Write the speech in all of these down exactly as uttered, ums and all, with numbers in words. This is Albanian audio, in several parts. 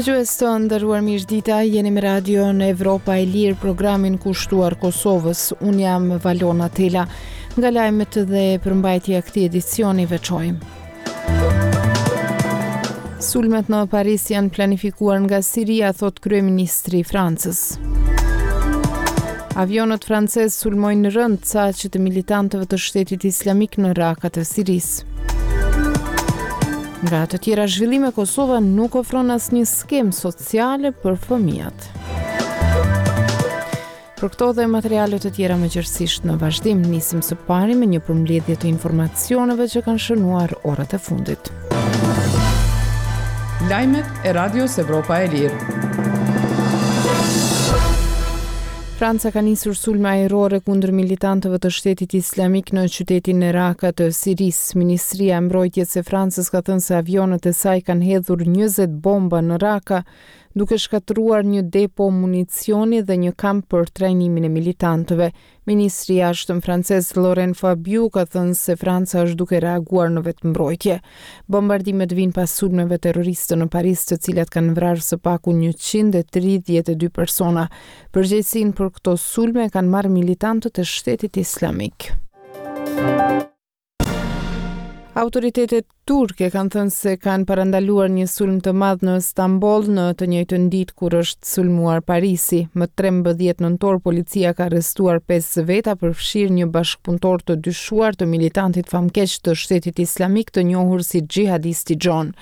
Dëgjues të nderuar, mirëdita, jeni me Radion Evropa e Lirë, programin kushtuar Kosovës. Unë jam Valona Tela. Nga lajmet dhe përmbajtja e këtij edicioni veçojmë: Sulmet në Paris janë planifikuar nga Siria, thotë kryeministri i Francës. Avionët francez sulmojnë rëndë caqet e militantëve të Shtetit Islamik në Raka të Sirisë. Nga të tjera zhvillime, Kosova nuk ofron asnjë skemë sociale për fëmijët. Për këto dhe materiale të tjera më gjerësisht në vazhdim, nisim së pari me një përmbledhje të informacioneve që kanë shënuar orët e fundit. Lajmet e Radios Evropa e Lirë. Franca ka nisur sulme ajrore kundër militantëve të Shtetit Islamik në qytetin e Raka të Sirisë. Ministria e Mbrojtjes e Francës ka thënë se avionët e saj kanë hedhur njëzet bomba në Raka, duke shkatërruar një depo municioni dhe një kamp për trajnimin e militantëve. Ministri i Jashtëm francez Laurent Fabius ka thënë se Franca është duke reaguar në vetëmbrojtje. Bombardimet vijnë pas sulmeve terroriste në Paris, të cilat kanë vrarë së paku njëqind e tridhjetë e dy persona. Përgjegjësinë për këto sulme kanë marrë militantët e Shtetit Islamik. Autoritetet turke kanë thënë se kanë parandaluar një sulm të madh në Stamboll në të njëjtën ditë kur është sulmuar Parisi. Më trembëdhjetë nëntor policia ka arrestuar pesë veta, përfshirë një bashkëpunëtor të dyshuar të militantit famkeq të Shtetit Islamik, të njohur si xhihadisti John.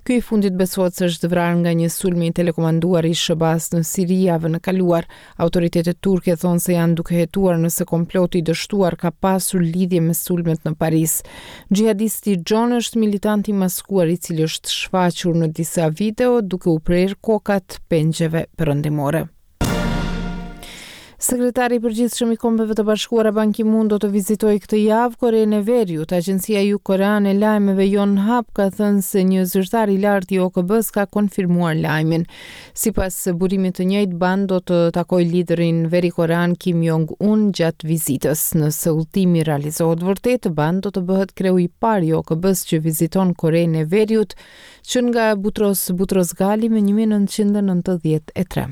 Ky i fundit besohet se është vrarë nga një sulm i telekomanduar i S H B A-s në Siri javën e kaluar. Autoritetet turke thonë se janë duke hetuar nëse komploti i dështuar ka pasur lidhje me sulmet në Paris. Xhihadisti John është militant i maskuar, i cili është shfaqur në disa video duke u prerë kokat pengjeve perëndimore. Sekretari i Përgjithshëm i Kombeve të Bashkuara Ban Ki-moon do të vizitojë këtë javë Korenë e Veriut. Agjencia jugkoreane e lajmeve Yonhap ka thënë se një zyrtar i lartë i O K B-s ka konfirmuar lajmin. Sipas burimit të njëjtë, Ban do të takojë liderin verikorean Kim Jong-un gjatë vizitës. Nëse udhëtimi realizohet vërtet, Ban do të bëhet kreu i parë i O K B-s që viziton Korenë e Veriut që nga Butros Butros Ghali më një mijë e nëntëqind e nëntëdhjetë e tre.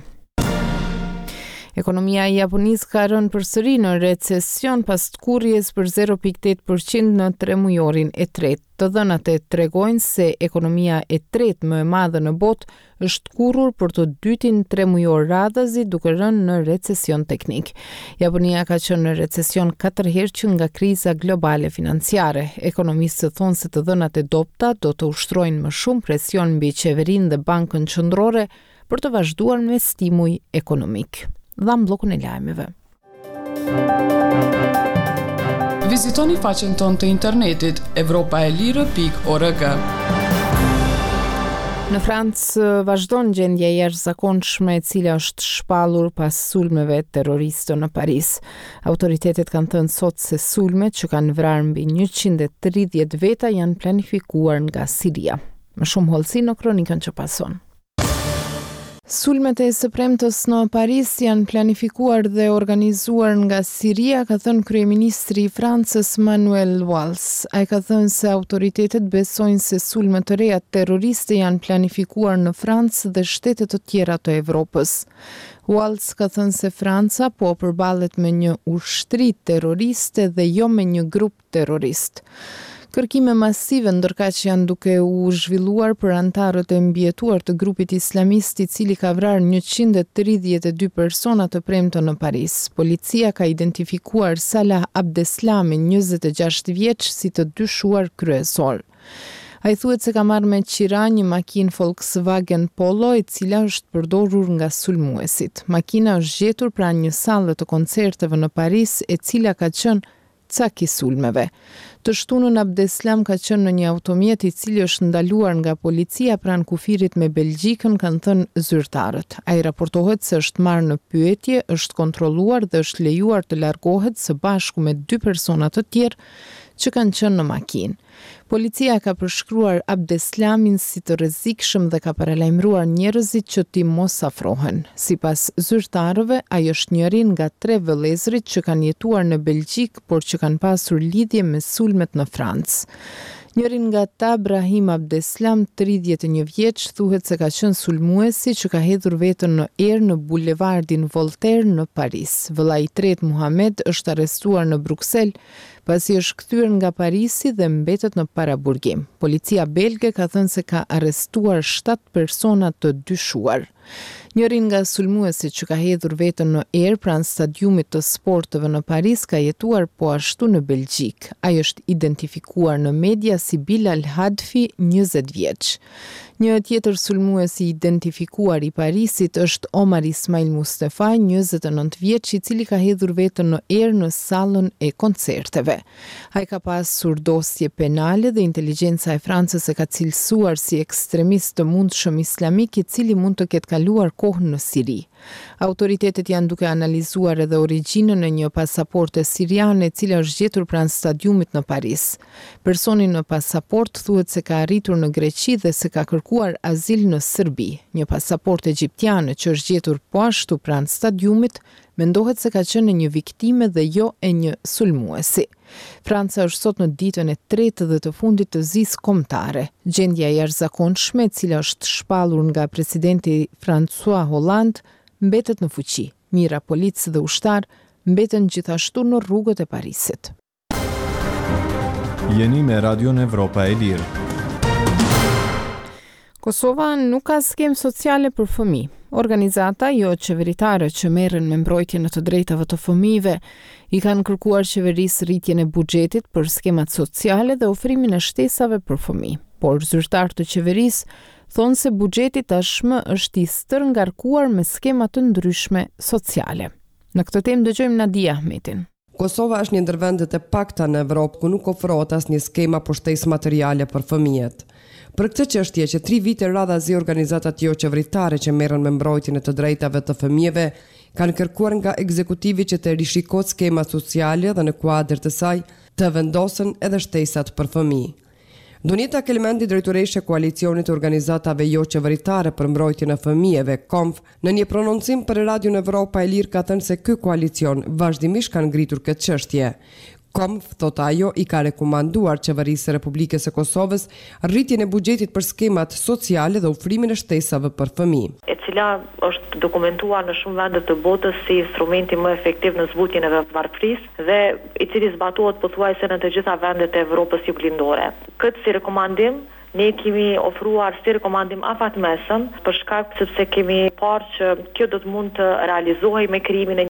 Ekonomia e Japonisë ka rënë përsëri në recesion pas tkurrjes për zero pikë tetë për qind në tremujorin e tretë. Të dhënat e tregojnë se ekonomia e tretë më e madhe në botë është tkurrur për të dytin tremujor radhazi, duke rënë në recesion teknik. Japonia ka qenë në recesion katër herë që nga kriza globale financiare. Ekonomistët thonë se të dhënat e dobta do të ushtrojnë më shumë presion mbi qeverinë dhe bankën qendrore për të vazhduar me stimuj ekonomik. Dham bllokun e lajmeve. Vizitoni faqen tonë të internetit evropaelire pikë org. Në Francë vazhdon gjendja e jashtëzakonshme, e cila është shpallur pas sulmeve terroriste në Paris. Autoritetet kanë thënë sot se sulmet që kanë vrarë mbi njëqind e tridhjetë veta janë planifikuar nga Siria. Më shumë hollësi në kronikën që pason. Sulmet e së premtës në Paris janë planifikuar dhe organizuar nga Siria, ka thënë kryeministri i Francës Manuel Valls. Ai ka thënë se autoritetet besojnë se sulmet të reja terroriste janë planifikuar në Francë dhe shtete të tjera të Evropës. Valls ka thënë se Franca po përballet me një ushtri terroriste dhe jo me një grup terrorist. Kërkime masive ndërkaq janë duke u zhvilluar për anëtarët e mbijetuar të grupit islamist, i cili ka vrarë njëqind e tridhjetë e dy persona të premten në Paris. Policia ka identifikuar Salah Abdeslamin, njëzet e gjashtë vjeç, si të dyshuar kryesor. Ai thuhet se ka marrë me qira një makinë Volkswagen Polo, e cila është përdorur nga sulmuesit. Makina është gjetur pranë një salle të koncerteve në Paris, e cila ka qenë cak i sulmeve. Të shtunën Abdeslam ka qenë në një automjet, i cili është ndaluar nga policia pranë kufirit me Belgjikën, kanë thënë zyrtarët. Ai raportohet se është marrë në pyetje, është kontrolluar dhe është lejuar të largohet së bashku me dy persona të tjerë që kanë qenë në makinë. Policia ka përshkruar Abdeslamin si të rrezikshëm dhe ka paralajmëruar njerëzit që t'i mos afrohen. Sipas zyrtarëve, ai është njëri nga tre vëllezërit që kanë jetuar në Belgjikë, por që kanë pasur lidhje me sulmet në Francë. Njëri nga ta, Brahim Abdeslam, tridhjetë e një vjeç, thuhet se ka qenë sulmuesi që ka hedhur veten në erë në bulevardin Voltaire në Paris. Vëllai i tretë, Muhamed, është arrestuar në Bruksel pasi është kthyer nga Parisi dhe mbetet në paraburgim. Policia belge ka thënë se ka arrestuar shtatë persona të dyshuar. Njëri nga sulmuesit që ka hedhur veten në erë pranë stadiumit të sporteve në Paris ka jetuar po ashtu në Belgjikë. Ai është identifikuar në media si Bilal Hadfi, njëzet vjeç. Një tjetër sulmues i identifikuar i Parisit është Omar Ismail Mustafaj, njëzet e nëntë vjeç, i cili ka hedhur veten në erë në sallën e koncerteve. Ai ka pasur dosje penale dhe inteligjenca e Francës e ka cilësuar si ekstremist të mundshëm islamik i cili mund të ketë kaluar kohë në Siri. Autoritetet janë duke analizuar edhe origjinën e një pasaporte siriane e cila është gjetur pranë stadiumit në Paris. Personi në pasaportë thuhet se ka arritur në Greqi dhe se ka kërkuar azil në Serbi. Një pasaportë egjiptiane që është gjetur po ashtu pranë stadiumit mendohet se ka qenë e një viktime dhe jo e një sulmuesi. Franca është sot në ditën e tretë dhe të fundit të zisë kombëtare. Gjendja e jashtëzakonshme, e cila është shpallur nga presidenti François Hollande, mbetet në fuqi. Mijëra policë dhe ushtarë mbeten gjithashtu në rrugët e Parisit. Jeni me Radion Evropa e Lirë. Kosova nuk ka skemë sociale për fëmijë. Organizata jo qeveritare që merren me mbrojtjen e të drejtave të fëmijëve i kanë kërkuar qeverisë rritjen e buxhetit për skemat sociale dhe ofrimin e shtesave për fëmijë. Por zyrtarë të qeverisë thonë se buxheti tashmë është i stërngarkuar me skema të ndryshme sociale. Në këtë temë dëgjojmë Nadia Ahmetin. Kosova është një ndër vendet e pakta në Evropë ku nuk ofrohet asnjë skema për shtesë materiale për fëmijët. Për këtë çështje që tri vite radhazi organizatat jo qeveritare që merren me mbrojtjen e të drejtave të fëmijëve kanë kërkuar nga ekzekutivi që të rishikohet skema sociale dhe në kuadër të saj të vendosen edhe shtesat për fëmijë. Donjeta Kelmendi, drejtoreshe e koalicionit të organizatave jo qeveritare për mbrojtjen e fëmijëve, KOMF, në një prononcim për Radion Evropa e Lirë ka thënë se ky koalicion vazhdimisht ka ngritur këtë çështje. KOMF, thot ajo, i ka rekomanduar qeverisë së Republikës së Kosovës rritjen e buxhetit për skemat sociale dhe ofrimin e shtesave për fëmijë. E cila është dokumentuar në shumë vende të botës si instrumenti më efektiv në zbutjen e varfërisë dhe i cili zbatohet pothuajse në të gjitha vendet e Evropës juglindore. Këtë si rekomandim ne kemi ofruar si rekomandim afatmesëm për shkak sepse kemi parë që kjo do të mund të realizohej me krijimin e